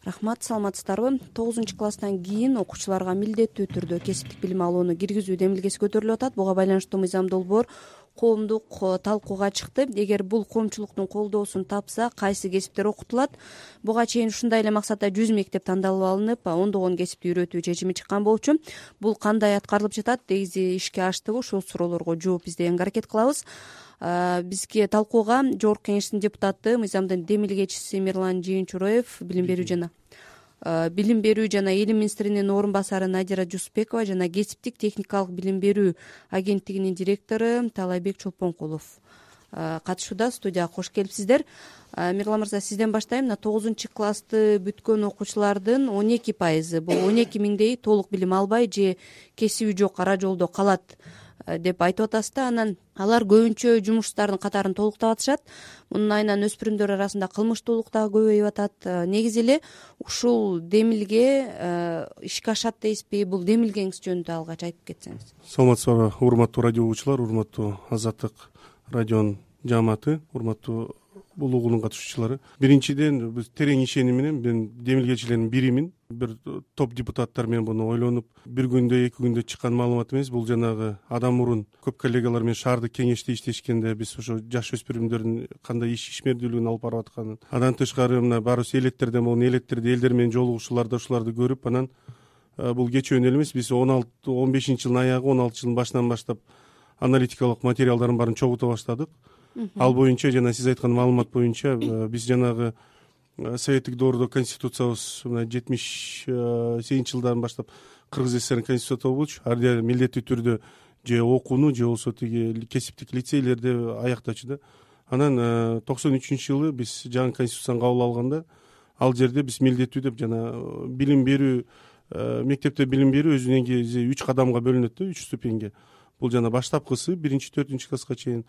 Рахмат, саламатсыздарбы? 9-класстан кийин окуучуларга милдеттүү түрдө кесиптик билим алууну киргизүү демилгеси көтөрүлүп атат. Буга байланыштуу мыйзам долбоор коомдук талкууга чыкты. Эгер бул коомчулуктун колдоосун тапса, кайсы кесиптер окутулат? Буга чейин ушундай эле максатта 100 мектеп тандалып алынып, ондогон кесипти үйрөтүү чечими чыккан болчу. Бул кандай аткарылып жатат? Негизи ишке аштыбы? Ушул суроолорго жооп издегенге аракет кылабыз. Бизге талкууга Жогорку Кеңештин депутаты, мыйзамдын демилгечиси Мирлан Жыйынчуроев, билим берүү жана элим министринин орун басары Надира Жусупбекова жана кесиптик техникалык билим берүү агенттигинин директору Таалайбек Чолпонкулов катышууда. Студияга кош келипсиздер. Мирлан мырза, сизден баштайм. 9-классты бүткөн окуучулардын 12%, бул 12 миңдей толук билим албай же кесиби жок ара жолдо калат деп айтып атасыз да. Анан алар көбүнчө жумуштардын катарын толуктап атышат. Мунун айынан өспүрүмдөр арасында кылмыштуулук дагы көбөйүп атат. Негизи эле ушул демилге ишке ашат дейсизби? Бул демилгеңиз жөнүндө алгач айтып кетсеңиз. Саламатсыздарбы, урматтуу радио угуучулар, урматтуу Азаттык радионун жааматы, урматтуу бул угуунун катышуучулары. Биринчиден, биз терең ишеним менен мен демилгечилердин биримин. Бир топ депутаттар менен буну ойлонуп, бир күндө, 2 күндө чыккан маалымат эмес. Бул жанагы адам мурун көп коллегалар менен шаардык кеңеште иштешкенде биз ошо жаш өспүрүмдөрдүн кандай ишмердүүлүгүн алып барып атканын, андан тышкары мына барыбыз элеттерден болгон элеттерде элдер менен жолугушууларда ушуларды көрүп, анан бул кечөөнү эле эмес, биз 15 жылдын аягы, 16 жылдын башынан баштап аналитикалык материалдардын баарын чогулта баштадык. Ал боюнча жана сиз айткан маалымат боюнча биз жанагы советтик доордо конституциябыз 78 жылдан баштап Кыргыз ССРнин конституциясы болчу. Ар милдеттүү түрдө же окууну же болбосо тиги кесиптик лицейлерди аяктачу да. Анан 93-жылы биз жаңы конституцияны кабыл алганда, ал жерде биз милдеттүү деп жана билим берүү, мектепте билим берүү өзү негизи 3 кадамга бөлүнөт да, 3 ступеньге. Бул жана баштапкысы 1-4 класска чейин,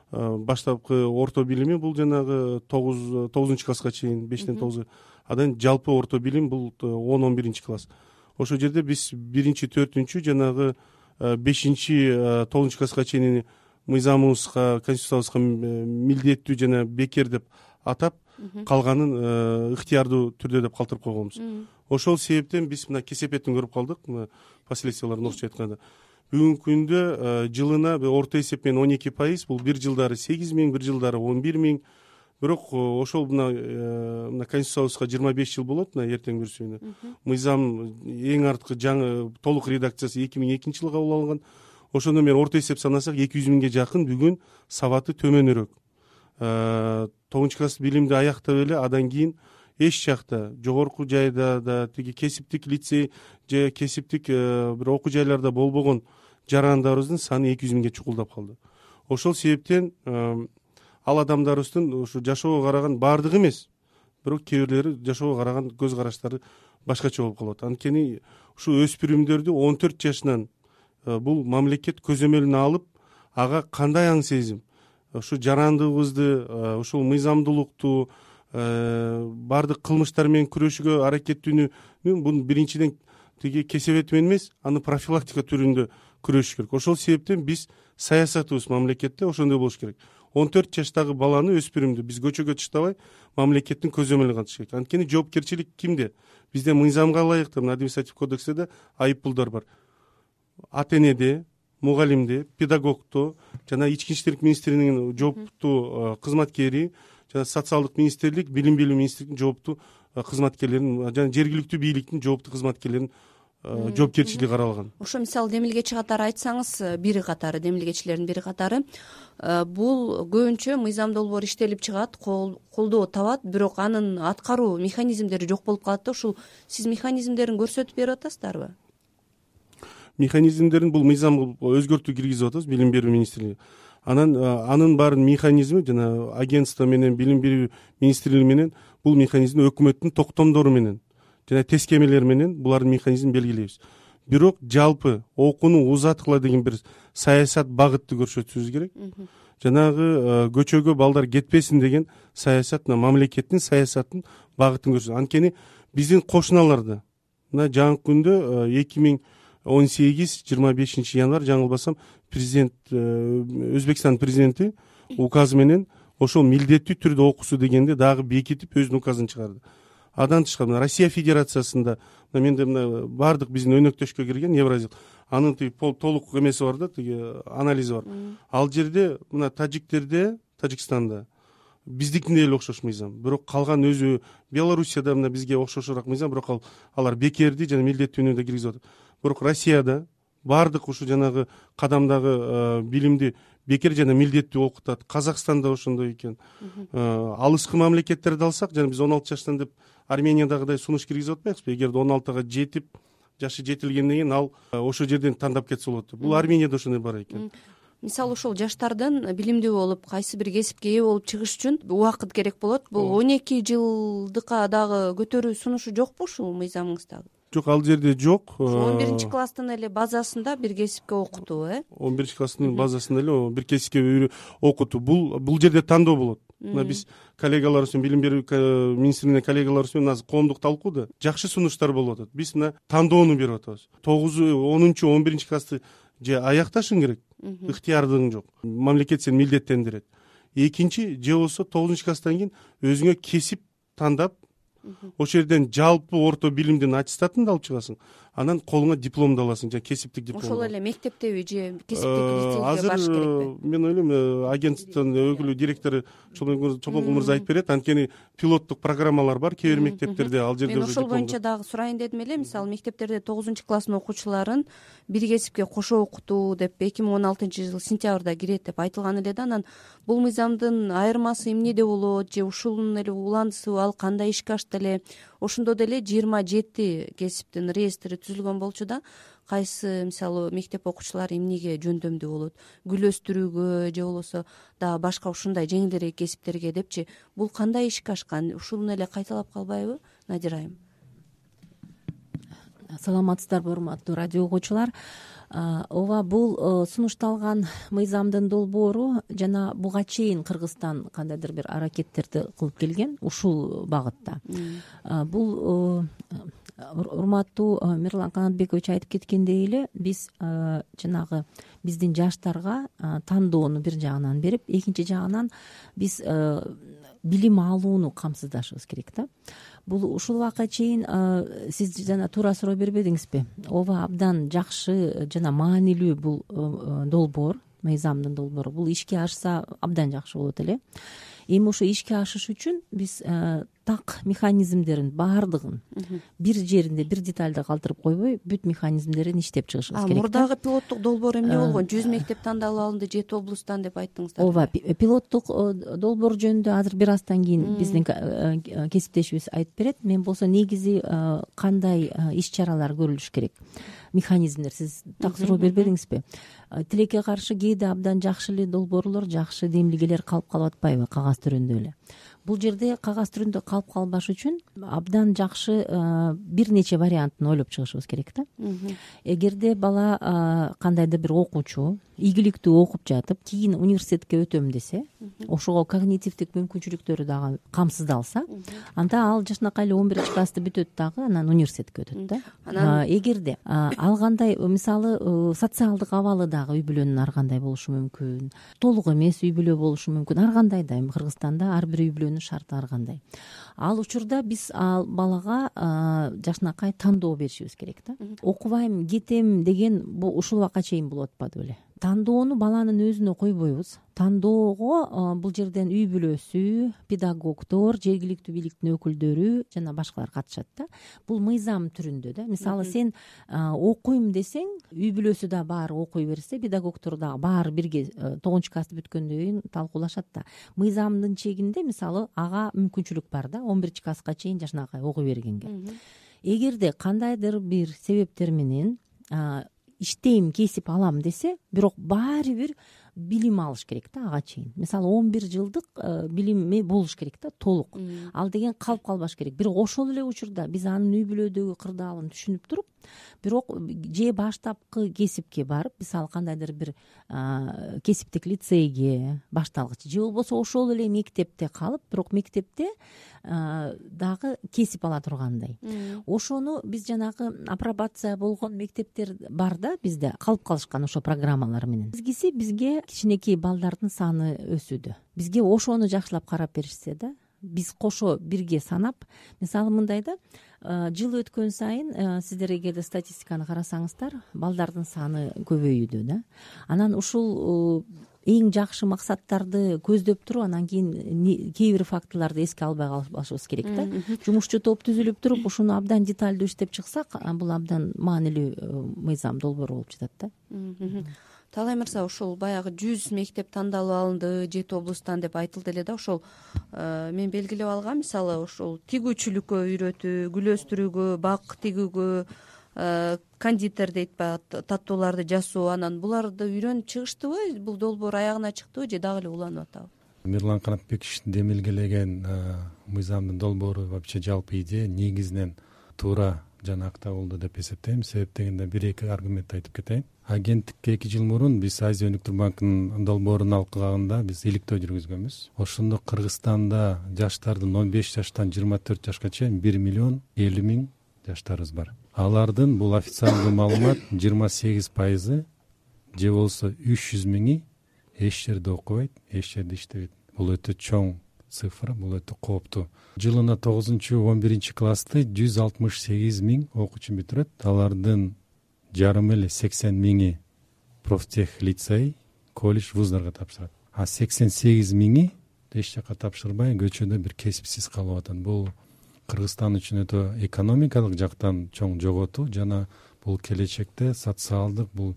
баштапкы орто билими бул жанагы 9 класска чейин, 5-тен 9. Андан жалпы орто билим бул 10-11 класс. Ошол жерде биз 1-4 жанагы 5-9 класска чейин мыйзамыбызга, конституциябызга милдеттүү жана бекер деп атап, калганын ыктыярдуу түрдө деп калтырып койгонбуз. Ошол себептен биз мына кесепетин көрүп калдык. Последствияларын орусча айтканда, бүгүнкү күндө жылына орто эсеп менен 12%, бул бир жылдары 8 миң, бир жылдары 11 миң. Бирок ошол мына конституциябызга 25 жыл болот, мына эртең бүрсүгүнө. Мыйзам эң арткы жаңы толук редакциясы 2002 жылы кабыл алынган. Ошондо мен орто эсеп санасак 200 миңге жакын бүгүн сабаты төмөнүрөөк 9 билимди аяктап эле андан кийин эч жакта, жогорку жайда да, тиги кесиптик лицей же кесиптик бир окуу жайларда болбогон жарандарыбыздын саны 200 миңге чукулдап калды. Ошол себептен ал адамдарыбыздын ушу жашоого караган баардыгы эмес, бирок кээ бирлери жашоого караган көз караштары башкача болуп калат. Анткени ушу өспүрүмдөрдү 14 жашынан бул мамлекет көзөмөлүнө алып, ага кандай аң сезим, ушу жарандыгыбызды, ушул мыйзамдуулукту, баардык кылмыштар менен күрөшүүгө аракеттүүнү бунун биринчиден тиги кесепети менен эмес, аны профилактика түрүндө күрөшүш керек. Ошол себептен биз саясатыбыз мамлекетте ошондой болуш керек. 14 жаштагы баланы, өспүрүмдү биз көчөгө таштабай, мамлекеттин көзөмөлүнө катыш керек. Анткени жоопкерчилик кимде? Бизде мыйзамга ылайык административ кодексте да айыппулдар бар. Ата энеде, мугалимде, педагогто жана ички иштер министринин жооптуу кызматкери, жана социалдык министрлик, билим берүү министрлигинин жооптуу кызматкерлерин жана жергиликтүү бийликтин жооптуу кызматкерлеринин жоопкерчилиги каралган. Ошо мисалы демилгечи катары айтсаңыз, бири катары, демилгечилердин бири катары, бул көбүнчө мыйзам долбоор иштелип чыгат, колдоо табат, бирок анын аткаруу механизмдери жок болуп калат да. Ушул сиз механизмдерин көрсөтүп берип атасыздарбы? Механизмдерин бул мыйзамга өзгөртүү киргизип атабыз, билим берүү министрлиги. Анын баарын механизми жана агентство менен, билим берүү министрлиги менен бул механизмди өкмөттүн токтомдору менен жана тескемелер менен булардын механизмин белгилейбиз. Бирок жалпы окууну узаткыла деген бир саясат багытты көрсөтүшүбүз керек. Жанагы көчөгө балдар кетпесин деген саясат мамлекеттин саясатын багытын көрсөтөт. Анткени биздин кошуналарда мына жаңы күндө 2018-25 январь жаңылбасам президент, Өзбекстан президенти указы менен ошол милдеттүү түрдө окуусу дегенде дагы бекитип өзүнүн указын чыгарды. Андан тышкары мына Россия Федерациясында менде мына баардык биздин өнөктөшкө кирген Евразия анын тиги толук эмеси бар да, тиги анализи бар. Ал жерде мына Тажикстанда биздикине эле окшош мыйзам, бирок калган өзү Белоруссияда мына бизге окшошураак мыйзам, бирок алар бекерди жана милдеттүүнү киргизип атат. Бирок Россияда баардык ушу жанагы кадамдагы билимди бекер жана милдеттүү окутат. Казакстанда ошондой экен. Алыскы мамлекеттерди алсак, жана биз 16 жаштан деп Армениядагыдай сунуш киргизип атпайбызбы? Эгерде 16га жетип, жашы жетилгенден кийин ал ошол жерден тандап кетсе болот. Бул Арменияда ошондой бар экен. Мисалы ошол жаштардын билимдүү болуп, кайсы бир кесипке ээ болуп чыгыш үчүн убакыт керек болот. Бул 12 жылдыкка дагы көтөрүү сунушу жокпу ушул мыйзамыңыздагы? Жок, ал жерде жок. 11-класстын эле базасында бир кесипке окутуу, 11-класстын базасында эле бир кесипке окутуу. Бул жерде тандоо болот. Мына биз коллегаларыбыз менен, билим берүү министрлигинин коллегаларыбыз менен азыр коомдук талкууда жакшы сунуштар болуп атат. Биз мына тандоону берип атабыз. 9-10, 11-классты же аякташың керек, ыктыярдыгың жок. Мамлекет сени милдеттендирет. Экинчи, же болбосо 9-класстан кийин өзүңө кесип тандап, ошол жерден жалпы орто билимдин аттестатын алып чыгасың. Анан колуңа дипломду аласың, жана кесиптик диплом. Ошол эле мектептеби же кесиптик лицейге барыш керекпи? Мен ойлойм, агенттиктин өкүлү, директору Чолпонкул мырза айтып берет. Анткени пилоттук программалар бар кээ бир мектептерде. Ал жерде мен ошол боюнча дагы сурайын дедим эле. Мисалы мектептерде 9-класстын окуучуларын бир кесипке кошо окутуу деп 2016-жыл сентябрда кирет деп айтылган эле да. Анан бул мыйзамдын айырмасы эмнеде болот, же ушунун эле уландысыбы, ал кандай ишке ашты эле? Ошондо деле 27 кесиптин реестри түзүлгөн болчу да. Кайсы мисалы мектеп окуучулары эмнеге жөндөмдүү болот? Гүл өстүрүүгө же болбосо дагы башка ушундай жеңилирээк кесиптерге депчи. Бул кандай ишке ашкан? Ушуну эле кайталап калбайбы, Надира айым? Саламатсыздарбы, урматтуу радио угуучулар. Ооба, бул сунушталган мыйзамдын долбоору жана буга чейин Кыргызстан кандайдыр бир аракеттерди кылып келген ушул багытта. Бул урматтуу Мирлан Канатбекович айтып кеткендей эле, биз жанагы биздин жаштарга тандоону бир жагынан берип, экинчи жагынан биз билим алууну камсыздашыбыз керек да. Бул ушул убакка чейин сиз жана туура суроо бербедиңизби? Ооба, абдан жакшы жана маанилүү бул долбоор, мыйзамдын долбоору. Бул ишке ашса абдан жакшы болот эле. Эми ошо ишке ашыш үчүн биз так механизмдерин баардыгын бир жеринде, бир детальда калтырып койбой, бүт механизмдерин иштеп чыгышыбыз керек. Мурдагы пилоттук долбоор эмне болгон? 100 мектеп тандалып алынды, 7 облустан деп айттыңыздар. Ооба, пилоттук долбоор жөнүндө азыр бир аздан кийин биздин кесиптешибиз айтып берет. Мен болсо негизи кандай иш-чаралар көрүлүш керек, механизмдер, сиз так суроо бербедиңизби? Тилекке каршы кээде абдан жакшы эле долбоорлор, жакшы демилгелер калып калып атпайбы кагаз түрүндө эле? Бул жерде кагаз түрүндө калып калбаш үчүн абдан жакшы бир нече вариантын ойлоп чыгышыбыз керек да. Эгерде бала кандайдыр бир окуучу ийгиликтүү окуп жатып, кийин университетке өтөм десе, ошого когнитивдик мүмкүнчүлүктөрү дагы камсыздалса, анда ал жашынакай эле 11-классты бүтөт дагы, анан университетке өтөт да. Эгерде ал кандай, мисалы, социалдык абалы дагы үй бүлөнүн ар кандай болушу мүмкүн, толук эмес үй бүлө болушу мүмкүн, ар кандай да. Эми Кыргызстанда ар бир үй бүлөнүн шарты ар кандай. Ал учурда биз ал балага жашынакай тандоо беришибиз керек да. Окубайм, кетем деген бул ушул убакка чейин болуп атпады беле? Тандоону баланын өзүнө койбойбуз. Тандоого бул жерден үй бүлөсү, педагогдор, жергиликтүү бийликтин өкүлдөрү жана башкалар катышат да. Бул мыйзам түрүндө да. Мисалы, сен окуйм десең, үй бүлөсү да баары окуй берсе, педагогдор дагы баары бирге 9-классты бүткөндөн кийин талкуулашат да. Мыйзамдын чегинде, мисалы, ага мүмкүнчүлүк бар да, 11-класска чейин жашынакай окуй бергенге. Эгерде кандайдыр бир себептер менен иштейм, кесип алам десе, бирок баары бир билим алыш керек да ага чейин. Мисалы, 11 жылдык билими болуш керек да, толук. Ал деген калып калбаш керек. Бирок ошол эле учурда биз анын үй бүлөдөгү кырдаалын түшүнүп туруп, бирок же баштапкы кесипке барып, мисалы, кандайдыр бир кесиптик лицейге, башталгыч, же болбосо ошол эле мектепте калып, бирок мектепте дагы кесип ала тургандай. Ошону биз жанагы апробация болгон мектептер бар да бизде, калып калышкан ошо программалар менен. Бизгиси бизге кичинекей балдардын саны өсүүдө. Бизге ошону жакшылап карап беришсе да, биз кошо бирге санап, мисалы мындай да, жыл өткөн сайын сиздер эгерде статистиканы карасаңыздар, балдардын саны көбөйүүдө да. Анан ушул эң жакшы максаттарды көздөп туруп, анан кийин кээ бир фактыларды эске албай калышыбыз керек да. Жумушчу топ түзүлүп туруп, ушуну абдан деталдуу иштеп чыксак, бул абдан маанилүү мыйзам долбоор болуп жатат да. Таалай мырза, ошол баягы 100 мектеп тандалып алынды 7 облустан деп айтылды эле да. Ошол мен белгилеп алгам, мисалы ошол тигүүчүлүккө үйрөтүү, гүл өстүрүүгө, бак тигүүгө, кондитер дейт баягы таттууларды жасоо, анан буларды үйрөнүп чыгыштыбы? Бул долбоор аягына чыктыбы же дагы эле уланып атабы? Мирлан Канатбековичтин демилгелеген мыйзамдын долбоору вообще жалпы идея негизинен туура жана акта болду деп эсептейм. Себеп дегенде 1-2 аргумент айтып кетейин. Агенттикке 2 жыл мурун биз Азия өнүктүрүү банкынын долбоорун алкаганда биз иликтөө жүргүзгөнбүз. Ошондо Кыргызстанда жаштардын 15 жаштан 24 жашка чейин 1,50,000 жаштарыбыз бар. Алардын бул официалдуу маалымат 28% же болсо 300,000 эч жерде окубайт, эч жерде иштебейт. Бул өтө чоң цифра, бул өтө кооптуу. Жылына 9-11 классты 168,000 окуучу бүтүрөт. Алардын жарым эле 80,000 профтех лицей, колледж, вуздарга тапшырат. А 88,000 эч жака тапшырбай көчөдө бир кесипсиз калып атат. Бул Кыргызстан үчүн өтө экономикалык жактан чоң жоготуу жана бул келечекте социалдык бул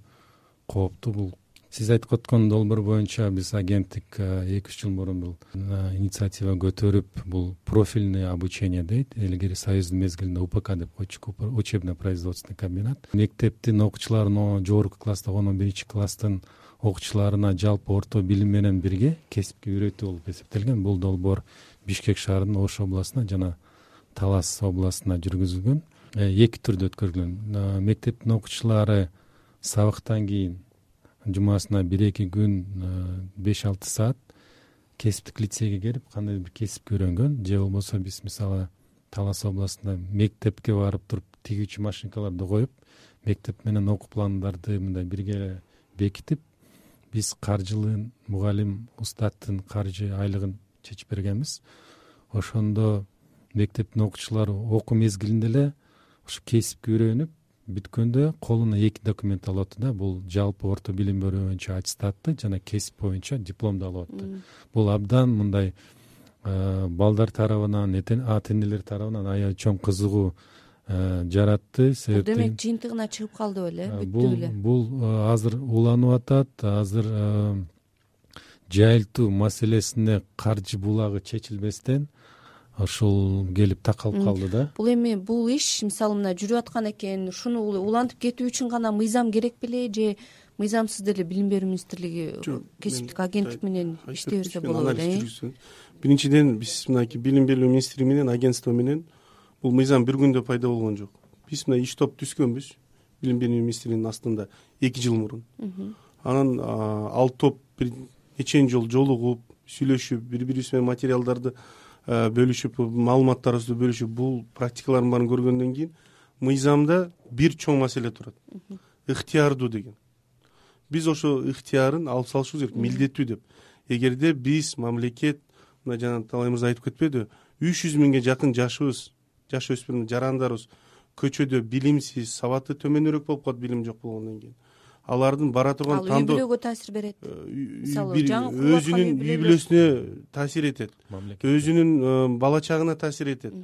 кооптуу. Бул сиз айтып өткөн долбоор боюнча биз агенттик 2-3 жыл мурун бул инициатива көтөрүп, бул профильный обучение дейт. Илгери союздун мезгилинде УПК деп койчук, учебно-производственный комбинат. Мектептин окуучуларына, жогорку класста 11 класстын окуучуларына жалпы орто билим менен бирге кесипке үйрөтүү болуп эсептелген. Бул долбоор Бишкек шаарынын Ош областына жана Талас областына жүргүзүлгөн. 2 түрдө өткөрүлгөн. Мектептин окуучулары сабактан кийин жумасына 1-2 күн 5-6 саат кесиптик лицейге келип кандайдыр бир кесипке үйрөнгөн. Же болбосо биз мисалы Талас областында мектепке барып туруп тигүүчү машинкаларды коюп, мектеп менен окуу пландарды мындай бирге бекитип, биз каржылын, мугалим, устаттын каржы айлыгын чечип бергенбиз. Ошондо мектептин окуучулары окуу мезгилинде эле ушу кесипке үйрөнүп бүткөндө колуна 2 документ алып атты да. Бул жалпы орто билим берүү боюнча аттестатты жана кесип боюнча дипломду алып атты. Бул абдан мындай балдар тарабынан, ата энелер тарабынан аябай чоң кызыгуу жаратты. Себеп демек жыйынтыгына чыгып калды беле, бүттү беле. Бул азыр уланып атат. Азыр жайылтуу маселесине каржы булагы чечилбестен ошол келип такалып калды да. Бул эми бул иш мисалы мына жүрүп аткан экен, ушуну улантып кетүү үчүн гана мыйзам керек беле же мыйзамсыз деле Билим берүү министрлиги кесиптик агенттик менен иштей берсе болот беле? Биринчиден биз мынакей Билим берүү министри менен агентство менен бул мыйзам бир күндө пайда болгон жок. Биз мына иш топ түзгөнбүз Билим берүү министринин астында 2 жыл мурун. Анан ал топ бир нече жол жолугуп, сүйлөшүп, бири-бирибиз менен материалдарды бөлүшүп, маалыматтарыбызды бөлүшүп, бул практикалардын баарын көргөндөн кийин мыйзамда бир чоң маселе турат. Ыктыярдуу деген. Биз ошо ыктыярын алып салышыбыз керек, милдеттүү деп. Эгерде биз мамлекет, мына жана Таалай мырза айтып кетпеди, 300,000ге жакын жашыбыз, жаш өспүрүм жарандарыбыз көчөдө билимсиз, сабаты төмөнүрөөк болуп калат, билим жок болгондон кийин. Алардын бара турган тандоо үй бүлөгө таасир берет. Мисалы жаңы өзүнүн үй бүлөсүнө таасир этет, өзүнүн бала чагына таасир этет.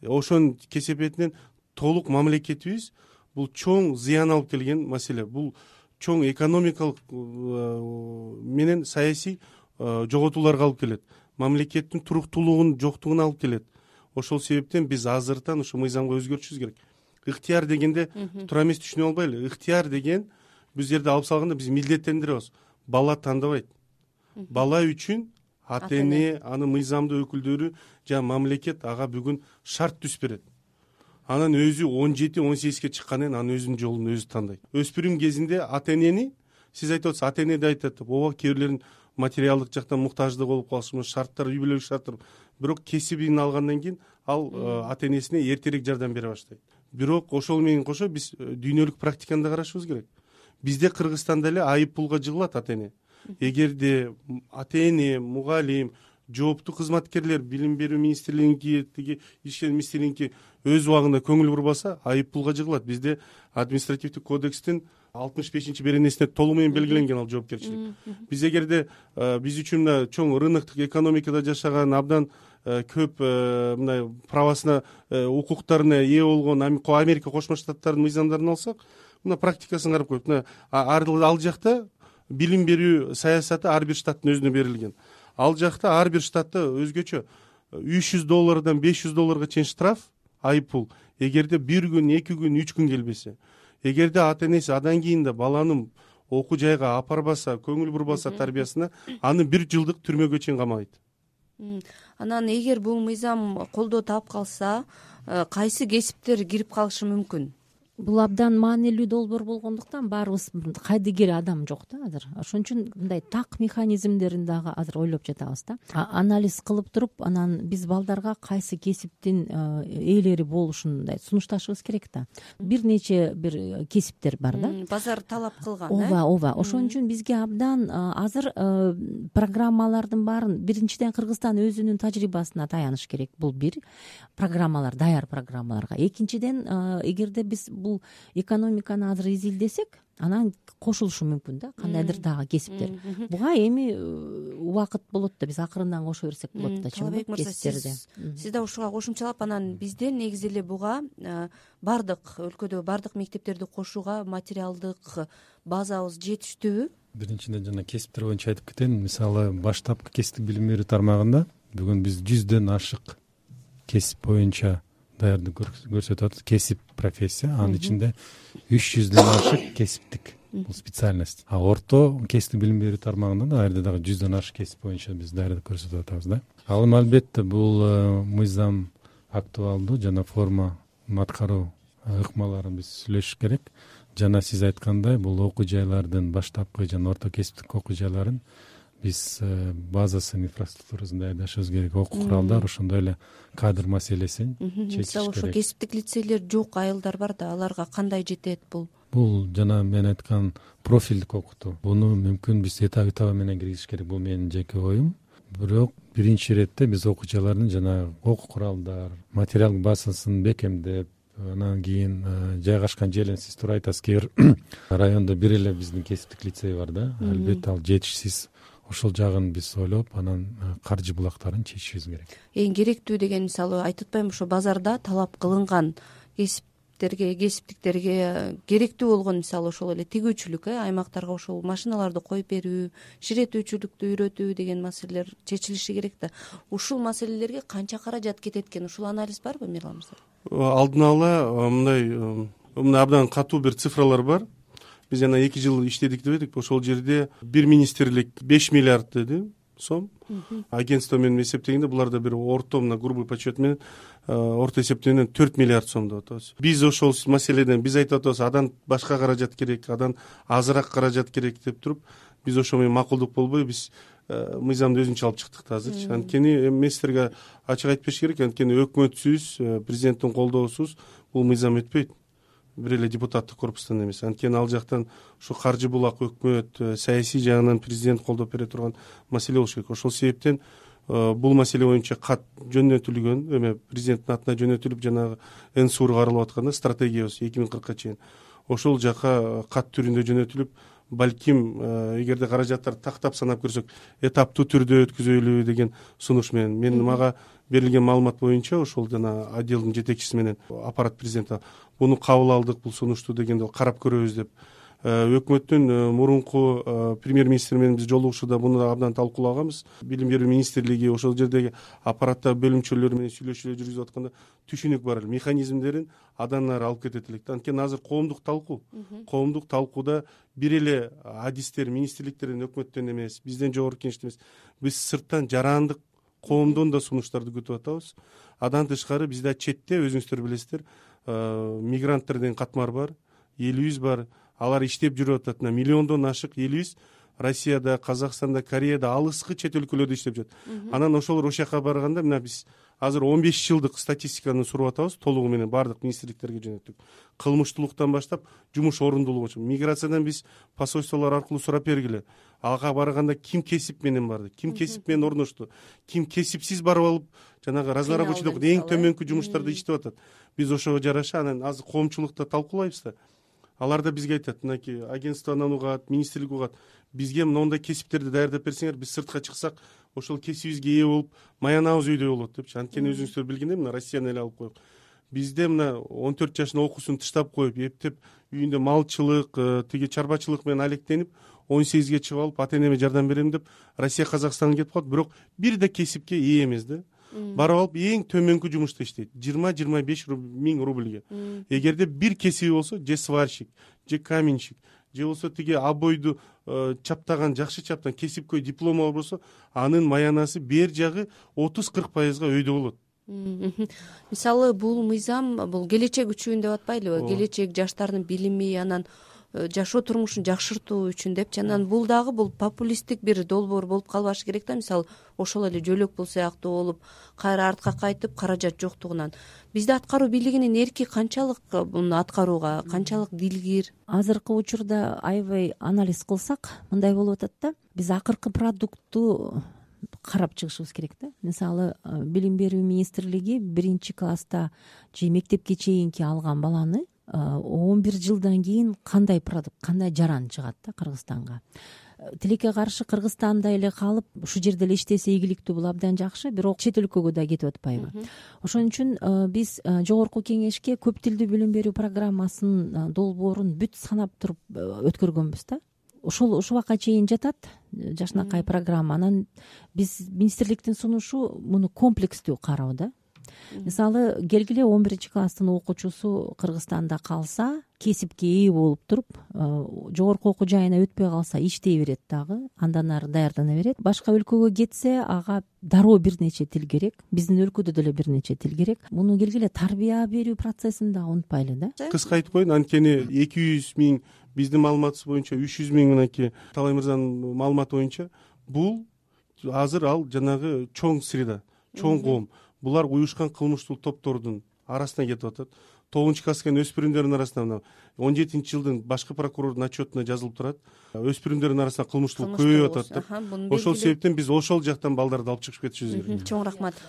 Ошонун кесепетинен толук мамлекетибиз бул чоң зыян алып келген маселе. Бул чоң экономикалык менен саясий жоготууларга алып келет. Мамлекеттин туруктуулугунун жоктугуна алып келет. Ошол себептен биз азыртан ушу мыйзамга өзгөртүшүбүз керек. Ыктыяр дегенде туура эмес түшүнүп албайлы. Ыктыяр деген биз жерде алып салганда биз милдеттендиребиз. Бала тандабайт. Бала үчүн ата эне, анын мыйзамдуу өкүлдөрү жана мамлекет ага бүгүн шарт түзүп берет. Анан өзү 17-18ге чыккандан кийин анын өзүнүн жолун өзү тандайт. Өспүрүм кезинде ата энени, сиз айтып атасыз, ата эне да айтат, ооба кээ бирлерин материалдык жактан муктаждык болуп калышы, шарттар, үй бүлөлүк шарттар. Бирок кесибин алгандан кийин ал ата энесине эртерээк жардам бере баштайт. Бирок ошол менен кошо биз дүйнөлүк практиканы да карашыбыз керек. Бизде Кыргызстанда эле айып пулга жыгылат ата эне. Эгерде ата эне, мугалим жооптуу кызматкерлер билим берүү министрлигиники тиги ишер министрлигиники өз убагында көңүл бурбаса айып пулга жыгылат. Бизде административдик кодекстин 65 беренесине толук менен белгиленген ал жоопкерчилик. Биз эгерде биз үчүн мына чоң рыноктук экономикада жашаган абдан көп мындай правасына укуктарына ээ болгон Америка Кошмо Штаттарынын мыйзамдарын алсак, мына практикасын карап коюп, мына ал жакта билим берүү саясаты ар бир штаттын өзүнө берилген. Ал жакта ар бир штатта өзгөчө $300 $500 чейин штраф, айып пул, эгерде 1 күн, 2 күн, 3 күн келбесе. Эгерде ата энеси андан кийин да баланын окуу жайга апарбаса, көңүл бурбаса тарбиясына, аны 1 жылдык түрмөгө чейин камайт. Анан эгер бул мыйзам колдоо таап калса, кайсы кесиптер кирип калышы мүмкүн? Бул абдан маанилүү долбоор болгондуктан баарыбыз кайдыгер адам жок да азыр. Ошон үчүн мындай так механизмдерин дагы азыр ойлоп жатабыз да. Анализ кылып туруп, анан биз балдарга кайсы кесиптин ээлери болушун мындай сунушташыбыз керек да. Бир нече бир кесиптер бар да. Базар талап кылган. Ооба. Ошон үчүн бизге абдан азыр программалардын баарын биринчиден Кыргызстан өзүнүн тажрыйбасына таяныш керек. Бул бир программалар, даяр программаларга. Экинчиден, эгерде биз бул экономиканы азыр изилдесек, анан кошулушу мүмкүн да кандайдыр дагы кесиптер. Буга эми убакыт болот да, биз акырындан кошо берсек болот да. Талабек мырза, сиз да ушуга кошумчалап, анан бизде негизи эле буга бардык өлкөдө бардык мектептерди кошууга материалдык базабыз жетиштүүбү? Биринчиден жана кесиптер боюнча айтып кетейин. Мисалы, баштапкы кесиптик билим берүү тармагында бүгүн биз 100дөн ашык кесип боюнча даярдык көрсөтүп атат. Кесип, профессия, анын ичинде 300дөн ашык кесиптик бул специальность. Орто кесиптик билим берүү тармагында да ар дагы 100дөн ашык кесип боюнча биз даярдык көрсөтүп атабыз да. Ал эми албетте бул мыйзам актуалдуу жана форма аткаруу ыкмаларын биз сүйлөшүш керек. Жана сиз айткандай, бул окуу жайлардын баштапкы жана орто кесиптик окуу жайларын биз базасын, инфраструктурасын даярдашыбыз керек. Окуу куралдар, ошондой эле кадр маселесин чечиш керек. Ошо кесиптик лицейлер жок айылдар бар да, аларга кандай жетет бул? Бул жана мен айткан профилдик окутуу. Буну мүмкүн биз этап менен киргизиш керек. Бул менин жеке оюм. Бирок биринчи иретте биз окуу жайлардын жана окуу куралдар, материал базасын бекемдеп, анан кийин жайгашкан жерин сиз туура айтасыз. Кээ бир райондо бир эле биздин кесиптик лицей бар да. Албетте ал жетишсиз. Ошол жагын биз ойлоп, анан каржы булактарын чечишибиз керек. Эң керектүү деген, мисалы, айтып атпаймынбы, ошо базарда талап кылынган кесиптиктерге керектүү болгон, мисалы, ошол эле тигүүчүлүк, аймактарга ошол машиналарды коюп берүү, ширетүүчүлүктү үйрөтүү деген маселелер чечилиши керек да. Ушул маселелерге канча каражат кетет экен? Ушул анализ барбы, Мирлан мырза? Алдын ала мындай абдан катуу бир цифралар бар. Биз жана 2 жыл иштедик дебедикпи? Ошол жерде бир министрлик 5 миллиард деди сом. Агентство менен эсептегенде буларда бир орто мына грубый подсчет менен орто эсептегенден 4 миллиард сом деп атабыз. Биз ошол маселеден биз айтып атабыз, адан башка каражат керек, адан азыраак каражат керек деп туруп, биз ошо менен макулдук болбой биз мыйзамды өзүнчө алып чыктык да азырчы. Анткени эми силерге ачык айтып бериш керек, анткени өкмөтсүз, президенттин колдоосуз бул мыйзам өтпөйт. Бир эле депутаттык корпустан эмес. Анткени ал жактан ушу каржы булак, өкмөт, саясий жагынан президент колдоп бере турган маселе болуш керек. Ошол себептен бул маселе боюнча кат жөнөтүлгөн, эме президенттин атына жөнөтүлүп, жанагы НСУРга каралып атканда стратегиябыз 2040 чейин ошол жака кат түрүндө жөнөтүлүп, балким эгерде каражаттарды тактап санап көрсөк, этаптуу түрдө өткүзөлү деген сунуш менен мага берилген маалымат боюнча ошол жана отделдин жетекчиси менен аппарат президенти буну кабыл алдык, бул сунушту дегенде карап көрөбүз деп. Өкмөттүн мурунку премьер-министри менен биз жолугушууда буну абдан талкуулаганбыз. Билим берүү министрлиги ошол жердеги аппаратта бөлүмчөлөр менен сүйлөшүүлөр жүргүзүп атканда түшүнүк бар эле, механизмдерин адан ары алып кетет элек. Анткени азыр коомдук талкууда бир эле адистер, министрликтерден, өкмөттөн эмес, бизден жогорку кеңештен эмес, биз сырттан жарандык коомдон да сунуштарды күтүп атабыз. Адан тышкары бизде четте, өзүңүздөр билесиздер, мигранттар деген катмар бар, элибиз бар. Алар иштеп жүрүп атат. Миллиондон ашык элибиз Россияда, Казакстанда, Кореяда, алыскы чет өлкөлөрдө иштеп жүрөт. Анан ошолор ошол жака барганда мына биз азыр 15 жылдык статистиканы суруп атабыз, толугу менен баардык министрликтерге жөнөттүк. Кылмыштуулуктан баштап жумуш орундуулугу, миграциядан биз посольстволор аркылуу сурап бергиле. Ага барганда ким кесип менен барды, ким кесип менен орношту, ким кесипсиз барып алып жанагы разнорабочий деп эң төмөнкү жумуштарды иштеп атат. Биз ошого жараша анан азыр коомчулукта талкуулайбыз да. Алар да бизге айтат, мынакей агентстводан угат, министрлик угат, бизге моундай кесиптерди даярдап берсеңер, биз сыртка чыксак, ошол кесибибизге ээ болуп, маянабыз өйдө болот депчи. Анткени өзүңүздөр билгендей, мына Россияны эле алып коелук. Бизде мына 14 жашында окуусун тыштап коюп, эптеп үйүндө малчылык, тиги чарбачылык менен алектенип, 18ге чыгып алып, ата-энеме жардам берем деп Россия, Казакстанга кетип калат, бирок бир да кесипке ээ эмес да. Барып алып эң төмөнкү жумушта иштейт, 20-25 миң рубльге. Эгерде бир кесиби болсо, же сварщик, же каменщик, же болсо тиги обойду чаптаган, жакшы чаптан кесипкөй диплому болсо, анын маянасы бер жагы 30-40%га өйдө болот. Мисалы бул мыйзам бул келечек үчүн деп атпайлыбы? Келечек жаштардын билими, анан жашоо турмушун жакшыртуу үчүн депчи. Анан бул дагы бул популисттик бир долбоор болуп калбашы керек да. Мисалы ошол эле жөлөк бул сыяктуу болуп, кайра артка кайтып, каражат жоктугунан. Бизде аткаруу бийлигинин эрки канчалык муну аткарууга, канчалык дилгир? Азыркы учурда аябай анализ кылсак, мындай болуп атат да. Биз акыркы продуктту карап чыгышыбыз керек да. Мисалы, билим берүү министрлиги 1-класста же мектепке чейинки алган баланы 11 жылдан кийин кандай продукт, кандай жаран чыгат да Кыргызстанга. Тилекке каршы Кыргызстанда эле калып, ушул жерде эле иштесе ийгиликтүү, бул абдан жакшы, бирок чет өлкөгө да кетип атпайбы? Ошон үчүн биз жогорку кеңешке көп тилдүү билим берүү программасынын долбоорун бүт санап туруп өткөргөнбүз да. Ушул убакка чейин жатат жашынакай программа. Анан биз министрликтин сунушу муну комплекстүү кароо да. Мисалы, келгиле 11-класстын окуучусу Кыргызстанда калса, кесипке ээ болуп туруп, жогорку окуу жайына өтпөй калса, иштей берет дагы, андан ары даярдана берет. Башка өлкөгө кетсе, ага дароо бир нече тил керек. Биздин өлкөдө деле бир нече тил керек. Муну келгиле тарбия берүү процессин да унутпайлы да. Кыска айтып коеюн, анткени 200 миң, биздин маалыматыбыз боюнча 300 миң, мынакей Талай мырзанын маалыматы боюнча, бул азыр ал жанагы чоң среда, чоң коом. Булар уюшкан кылмыштуу топтордун арасына кетип атат. 9-класска өспүрүмдөрдүн арасында 17-жылдын башкы прокурордун отчетуна жазылып турат. Өспүрүмдөрдүн арасында кылмыштуулук көбөйүп атат деп. Ошол себептен биз ошол жактан балдарды алып чыгып кетишибиз керек. Чоң рахмат.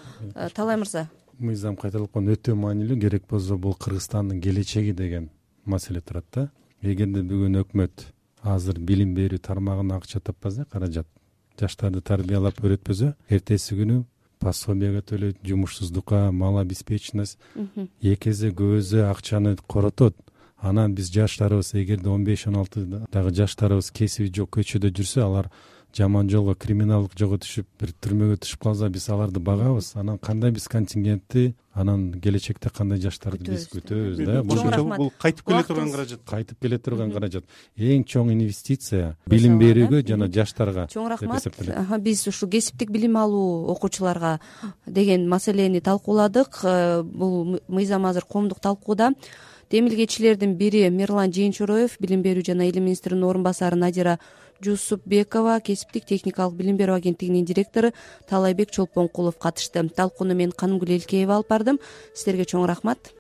Талай мырза. Мыйзам кайталапкан өтө маанилүү, керек болсо бул Кыргызстандын келечеги деген маселе турат да. Эгерде бүгүн өкмөт азыр билим берүү тармагына акча таппаса, каражат, жаштарды тарбиялап өйрөтпөсө, эртеси күнү пособияга төлөйт, жумушсуздукка, мал обеспеченность эки эсе көп эсе акчаны коротот. Анан биз жаштарыбыз, эгерде 15-16 дагы жаштарыбыз кесиби жок көчөдө жүрсө, алар жаман жолго, криминалдык жолго түшүп, бир түрмөгө түшүп калса, биз аларды багабыз. Анан кандай биз контингентти, анан келечекте кандай жаштарды биз күтөбүз да. Бул кайтып келе турган каражат. Кайтып келе турган каражат. Эң чоң инвестиция билим берүүгө жана жаштарга. Чоң рахмат. Биз ушу кесиптик билим алуу окуучуларга деген маселени талкууладык. Бул мыйзам азыр коомдук талкууда. Демилгечилердин бири Мирлан Жээнчороев, билим берүү жана илим министринин орун басары Надира Жусупбекова, кесиптик техникалык билим берүү агенттигинин директору Талайбек Чолпонкулов катышты. Талкууну мен Канымгүл Элкеева алып бардым. Сиздерге чоң рахмат.